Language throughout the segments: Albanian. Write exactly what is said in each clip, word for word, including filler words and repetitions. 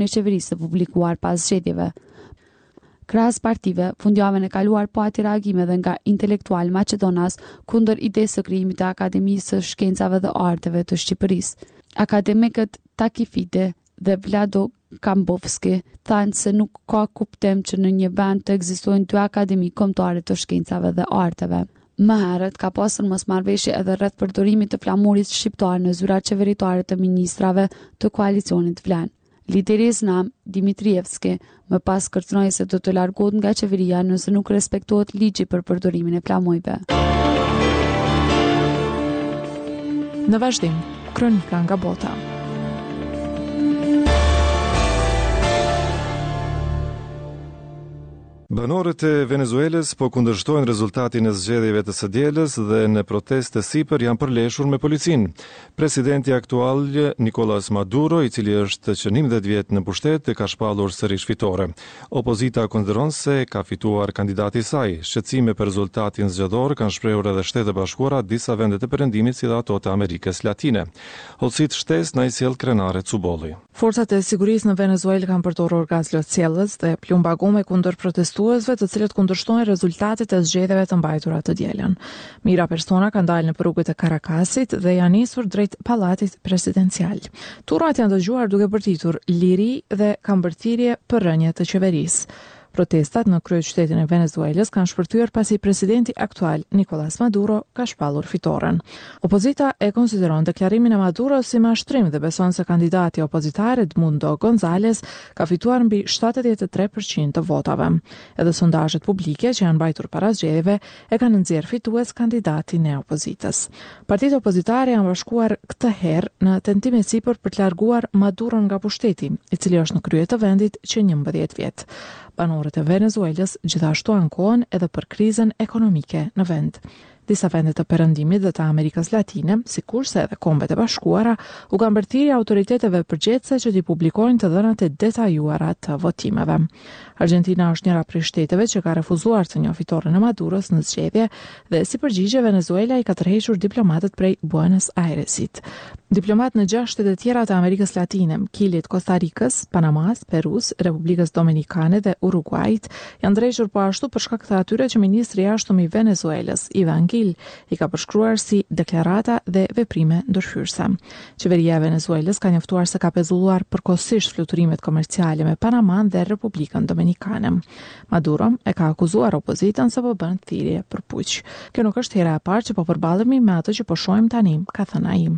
e qeverisë së publikuar pas zgjedhjeve. Krahas partive, fundjavën e kaluar pati reagime edhe nga intelektualë maqedonas kundër idesë së krijimit të Akademisë së Shkencave dhe Arteve të Shqipërisë. Akademikët Taki Fide dhe Vlado Kambovski thanë se nuk ka kuptim që në një vend të ekzistojnë dy akademi kombëtare të shkencave dhe arteve. Më herët ka pasur mosmarrëveshje edhe rreth përdorimit të flamurit shqiptar në zyrat qeveritare të ministrave të koalicionit Vlen. Lideri i Znam, Dimitrievski, më pas kërcënoi se do të largohet nga qeveria nëse nuk respektohet ligji për përdorimin e flamujve. Në vazhdim, kronika nga bota. Banorët e Venezuelës po kundërshtojnë rezultatin e zgjedhjeve të së dielës dhe në protestë të sipër janë përleshur me policinë. Presidenti aktual Nicolas Maduro, i cili është që njëmbëdhjetë vjet në pushtet, ka shpallur sërish fitore. Opozita konsideron se ka fituar kandidati i saj. Shqetësime për rezultatin zgjedhor kanë shprehur edhe Shtetet e Bashkuara, disa vende të Perëndimit si dhe ato të Amerikës Latine. Hollësitë shtesë na i sjell Krenare Cubolli. Forcat e sigurisë në Venezuelë kanë përdorur gaz lotsjellës dhe plumba gome kundër protestuesve të cilët kundërshtojnë rezultatet e zgjedhjeve të mbajtura të dielën. Mijëra persona kanë dalë në rrugët e Caracasit dhe janë nisur drejt pallatit presidencial. Turmat janë dëgjuar duke bërtitur liri dhe kanë bërë thirrje për rënje të qeverisë. Protestat në kryeqytetin e Venezuelës kanë shpërthyer pasi presidenti aktual Nicolas Maduro ka shpallur fitoren. Opozita e konsideron deklarimin e Maduros si mashtrim dhe beson se kandidati opozitar Edmundo Gonzalez ka fituar mbi shtatëdhjetë e tre përqind të votave. Edhe sondazhet publike që janë mbajtur para zgjedhjeve e kanë nxjerrë fitues kandidatin e opozitës. Partitë opozitare janë bashkuar këtë herë në tentim e sipër për të larguar Maduron nga pushteti, i cili është në krye të vendit që njëmbëdhjetë vjet. Banorët e Venezuelës gjithashtu ankohen edhe për krizën ekonomike në vend. Disa vende të Perëndimit dhe të Amerikës Latine, sikurse edhe Kombet e Bashkuara, u kanë bërë thirrje autoriteteve përgjegjëse që t'i publikojnë të dhënat e detajuara të votimeve. Argentina është njëra prej shteteve që ka refuzuar të njohë fitoren e Maduros në zgjedhje dhe si përgjigje Venezuela i ka tërhequr diplomatët prej Buenos Airesit. Diplomat në gjashtë shtete tjera të Amerikës Latine, Kilit, Costa Ricës, Panamas, Perus, Republikës Dominikane dhe Uruguajit, janë drejtur po ashtu për shkak të atyre që ministri i jashtëm i Venezuelës, Ivan Gil, i ka përshkruar si deklarata dhe veprime ndërhyrëse. Qeveria e Venezuelës ka njoftuar se ka pezulluar përkohësisht fluturimet komerciale me Panaman dhe Republikën Dominikane. Maduro e ka akuzuar opozitën se po bën thirrje për puq. Kjo nuk është hera e parë që po përballemi me atë që po shohim tani, ka thënë ai.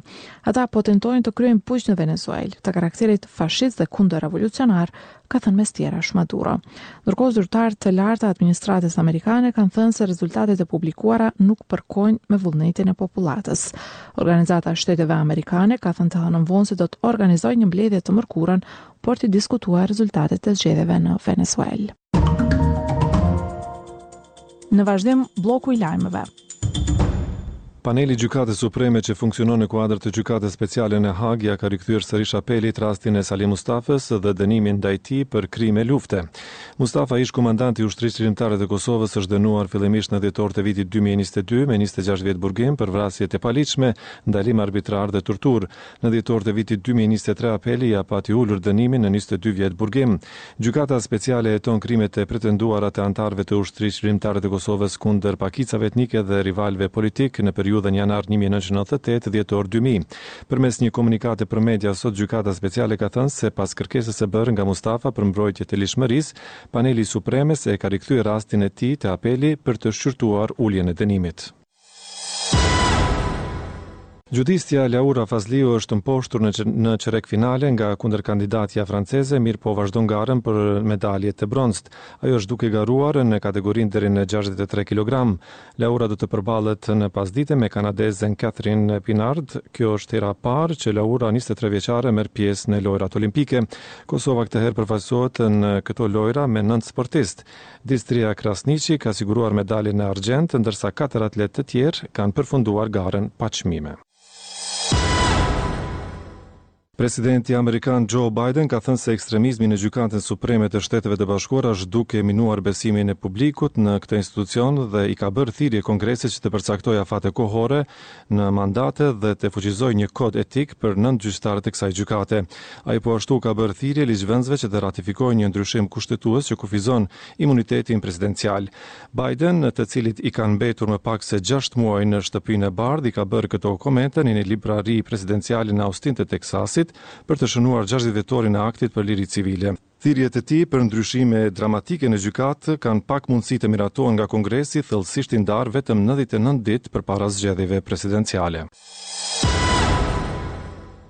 Ata po tentojnë të kryejnë puq në Venezuelë, të karakterit fashist dhe kundërrevolucionar, ka thënë mes tjerash Maduro. Ndërkohë zyrtarë të lartë të administratës amerikane kanë thënë se rezultatet e publikuara nuk përkojnë me vullnetin e popullatës. Organizata e Shteteve Amerikane ka thënë të hënën vonë se do të organizojë një mbledhje të mërkurën për të diskutuar rezultatet e zgjedhjeve në Venezuelë. Në vazhdim, bloku i lajmeve. Paneli i Gjykatës Supreme që funksionon në kuadër të Gjykatës Speciale në Hagë ja ka rikthyer sërish apelit rastin e Salih Mustafës dhe dënimin ndaj tij për krime lufte. Mustafa, ish komandant i Ushtrisë Çlirimtare të Kosovës, është dënuar fillimisht në dhjetor të vitit dy mijë e njëzet e dy me njëzet e gjashtë vjet burgim për vrasje të paligjshme, ndalim arbitrar dhe torturë. Në dhjetor të vitit dy mijë e njëzet e tre apeli ja pati ulur dënimin në njëzet e dy vjet burgim. Gjykata Speciale heton krimet e pretenduara të anëtarëve të Ushtrisë Çlirimtare të Kosovës kundër pakicave etnike dhe rivalëve politik në periudhën janar një mijë e nëntëqind e nëntëdhjetë e tetë, dhjetor dy mijë. Përmes një komunikate për media sot Gjykata Speciale ka thënë se pas kërkesës së bërë nga Mustafa për mbrojtje të ligjshmërisë, paneli i Supremes e ka rikthyer rastin e tij te apeli për të shqyrtuar uljen e dënimit. Xhudistja Laura Fazliu është mposhtur në qe-, në çerek finale nga kundërkandidatja franceze, mirë po vazhdon garën për medalje të bronztë. Ajo është duke garuar në kategorinë deri në gjashtëdhjetë e tre kilogram. Laura do të përballet në pasdite me kanadezen Catherine Pinard. Kjo është hera e parë që Laura, njëzet e tre vjeçare, merr pjesë në Lojrat Olimpike. Kosova këtë herë përfaqësohet në këto lojra me nëntë sportistë. Distria Krasniqi ka siguruar medaljen e argjendtë, ndërsa katër atletë të tjerë kanë përfunduar garën pa çmime. Presidenti amerikan Joe Biden ka thënë se ekstremizmi në Gjykatën Supreme të Shteteve të Bashkuara është duke minuar besimin e publikut në këtë institucion dhe i ka bërë thirrje Kongresit që të përcaktojë afate kohore në mandate dhe të fuqizojë një kod etik për nëntë gjyqtarët e kësaj gjykate. Ai po ashtu ka bërë thirrje ligjvënësve që të ratifikojnë një ndryshim kushtetues që kufizon imunitetin presidencial. Biden, të cilit i kanë mbetur më pak se gjashtë muaj në Shtëpinë e Bardhë, i ka bërë këto komente në një librari presidenciale në Austin të Teksasit për të shënuar gjashtëdhjetë vjetorin e aktit për liri civile. Thirrjet e tij për ndryshime dramatike në gjykatë kanë pak mundësi të miratohen nga Kongresi, thellësisht i ndarë vetëm nëntëdhjetë e nëntë ditë përpara zgjedhjeve presidenciale.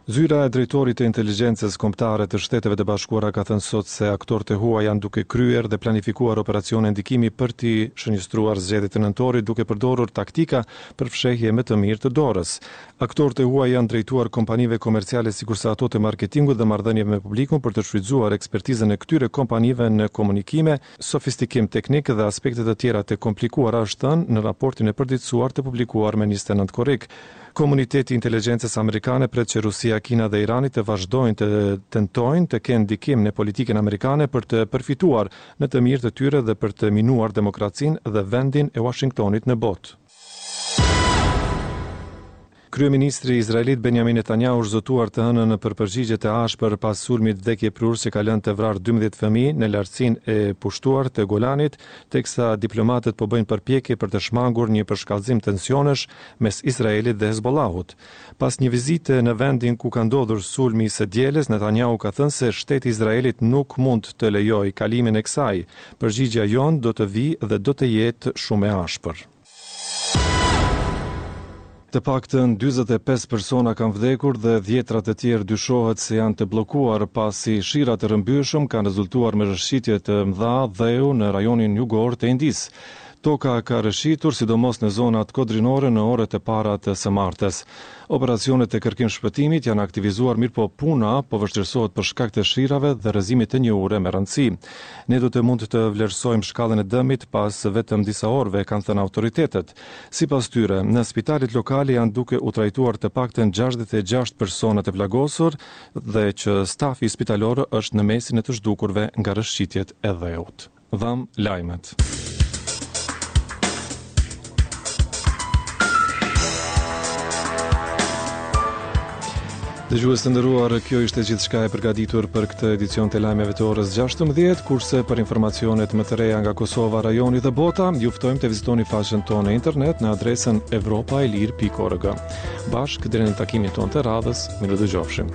Zyra e drejtorit të inteligjencës kombëtare të Shteteve të Bashkuara ka thënë sot se aktorët e huaj janë duke kryer dhe planifikuar operacione ndikimi për t'i shënjestruar zgjedhjet e nëntorit duke përdorur taktika për fshehje më të mirë të dorës. Aktorët e huaj janë drejtuar kompanive komerciale sikurse ato të marketingut dhe marrëdhënieve me publikun për të shfrytzuar ekspertizën e këtyre kompanive në komunikime, sofistikim teknik dhe aspekte të tjera të komplikuara, është thënë në raportin e përditësuar të publikuar me njëzet e nëntë korrik. Komuniteti i inteligjencës amerikane pret që Rusia, Kina dhe Irani të vazhdojnë të tentojnë të kenë ndikim në politikën amerikane për të përfituar në të mirë të tyre dhe për të minuar demokracinë dhe vendin e Washingtonit në botë. Kryeministri izraelit Benjamin Netanyahu është zotuar të hënën për përgjigje të ashpër pas sulmit vdekjeprurës që ka lënë të vrarë dymbëdhjetë fëmijë në lartësinë e pushtuar të Golanit, teksa diplomatët po bëjnë përpjekje për të shmangur një përshkallëzim tensionesh mes Izraelit dhe Hezbollahut. Pas një vizite në vendin ku ka ndodhur sulmi i së dielës, Netanyahu ka thënë se shteti i Izraelit nuk mund të lejojë kalimin e kësaj. Përgjigjja jonë do të vijë dhe do të jetë shumë e ashpër. Të paktën dyzet e pesë persona kanë vdekur dhe dhjetra të tjerë dyshohet se janë të bllokuar pasi shirat e rrëmbyeshëm kanë rezultuar me rrëshqitje të mëdha dheu në rajonin jugor të Indisë. Toka ka rrëshqitur sidomos në zonat kodrinore në orët e para të së martës. Operacionet e kërkim shpëtimit janë aktivizuar, mirëpo puna po vështirësohet për shkak të shirave dhe rrëzimit të një ure me rëndësi. Ne do të mund të vlerësojmë shkallën e dëmit pas vetëm disa orëve, kanë thënë autoritetet. Sipas tyre, në spitalet lokale janë duke u trajtuar të paktën gjashtëdhjetë e gjashtë persona të plagosur dhe që stafi spitalor është në mesin e të zhdukurve nga rrëshqitjet e dheut. Dham lajmet. Dëgjues të nderuar, kjo ishte gjithçka e përgatitur për këtë edicion të lajmeve të orës gjashtëmbëdhjetë, kurse për informacionet më të reja nga Kosova, rajoni dhe bota, ju ftojmë të vizitoni faqen tonë në internet në adresën evropa e lirë pikë org. Bashkë deri në takimin tonë të radhës, mirë dëgjofshim.